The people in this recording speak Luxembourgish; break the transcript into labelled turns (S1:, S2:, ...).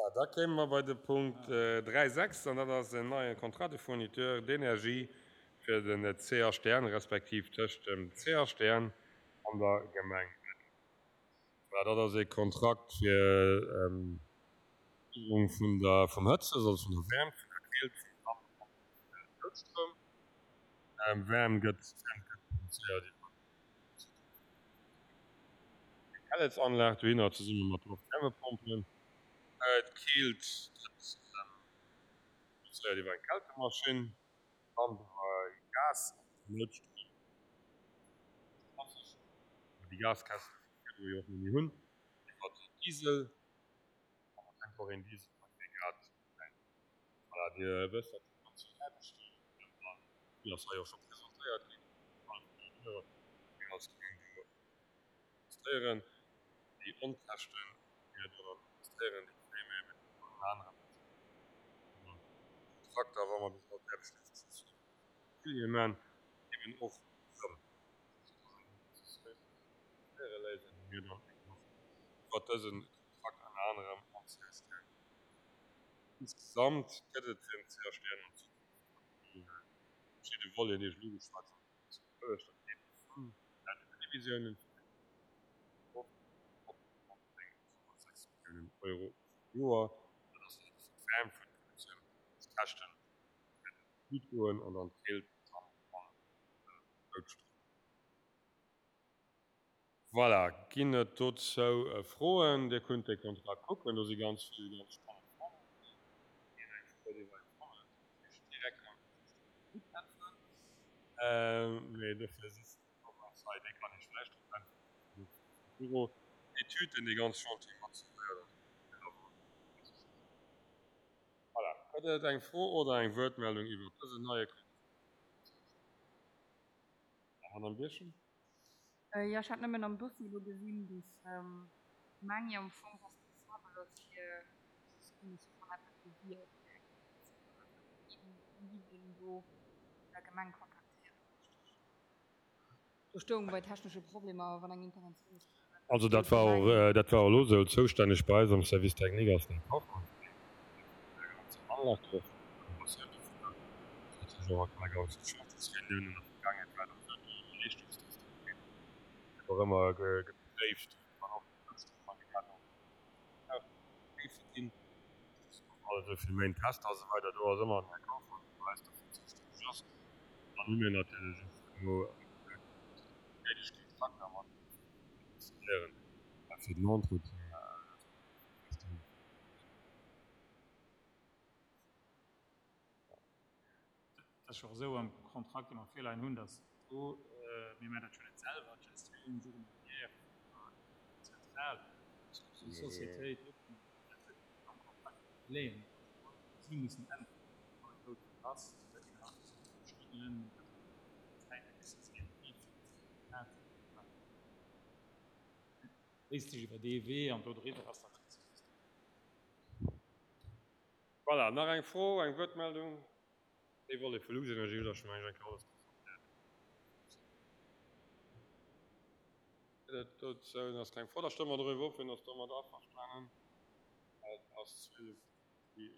S1: Voilà, da kéime mer bei de Punkt 3,6 an dat ass en neie Contrat de fourniture d'énergie fir den CHDN, respektiv tëscht dem CHDN an der Gemeng Ettelbréck. Voilà, dat ass e Kontrakt fir d'Liwwerung vun der, vum Hëtzes, also vun der Wäermt, vun der Keelt, vum Damp an vum Noutstroum. Wäermt gëtt, Wäermt gëtt produzéiert iwwer eng Pelletsanlag dohinner zesumme mat Loftwärmepompen. D'Keelt gëtt produzéiert iwwer eng Kältemaschinn, Damp iwwer Gas an den Noutstroum klassesch, well déi Gaskäschte vun virdru jo och net méi hunn, iwwer Diesel. An da fänkt och een Dieselaggregat un. Voilà, Dir wësst, dat déi ganz vill Aarbechten an déi ass hei och scho presentéiert ginn, déi mir als Gemeng do investéieren. Déi Onkäschten, déi mir do dann investéieren, déi kréie mir eben ënner anerem iwwer Kontrakter, wa mer bis all d'Aarbechten ofgeschloss hunn, Immobilië man, eben och erëm. Dat ass eng Investitioun, déi mir léisen, déi mir dann eben och iwwer dëse Kontrakt ënner anerem am CSTN. Insgesamt gëtt et fir den CHDN an Zukunft an déi verschidde Voleten, déi ech elo ugeschwat hunn, zu dat geet vun den Previsiounen vun op 9,6 Milliounen Euro pro Joer. Dat ass also fir d'Wäermt vun der Produktioun, d'Käschten wäerten an d'Lut goen an dann d'Keelt dann an den Noutstrom. Voilà, ginn et dozou Froen? Dir kunnt dee Kontrakt kucken, do si ganz vill ganz spannend Formeln dran. Wien eng Fro huet iwwer eng Formel, kann natierlech direkt am gutt äntweren. Mee dofir sëtzt den Thomas hei, dee kann Iech vläicht drop äntweren vum Büro d'études, deen dee ganz Chantier mat suivéiert an och Voilà, gëtt et eng Fro oder eng Wuertmeldung iwwer dësen neie Kontrakt? Madame Birchen.
S2: Jo, ech hat nëmmen am Dossier elo gesinn, dass d'Gemeng jo am Fong responsabel ass fir wann eppes do wier, fir eng Investitioun. Wien giff een do vun der Gemeng kontaktéieren, richteg? Do stoung bei technesche Problemer, wann eng Interventioun muss gemaach ginn.
S1: Also dat war och, dat war och elo esou. Zoustänneg bei eis am Service technique ass den Här Kaufmann, deen vun der ganzer Anlag do och vun der Renovatioun dovunner, natierlech och an der ganzen Chantiers-Reunioun an der Vergaangenheet war et och esou, do Leeschtungstester gemaach, gëtt och ëmmer gepréift, wann och Noutstromagregater och géife ginn. All esou vill Méint Tester a sou weider, do ass ëmmer den Här Kaufmann, dee bei eis dofir zoustänneg ass. Dann hu mir natierlech och elo néideg Kontrakter mat den Installairen fir den Entretien.
S3: Et ass jo och esou am Kontrakt, dee mer virleien hunn, datt do, mir maachen dat jo net selwer, d'Gestioun journalière vun der Zentral, déi Sociétéit am Kontrakt leeën, si mussen äntweren, wann et noutwenneg ass, soudatt een nach Stonnen, Zäite musse si aktiv dat léisst sech iwwer dee Wee an do driwwer ass dat.
S1: Voilà, nach eng Fro, eng Wuertmeldung? Dee Volet vu Luxenergie hutt Der scho mengen ech eng Kéier alles presentéiert. Gëtt et dozou nach keng Fro? Da stëmme mer doriwwer of. Wien ass domat averstanen? Et ass 12 Uhr.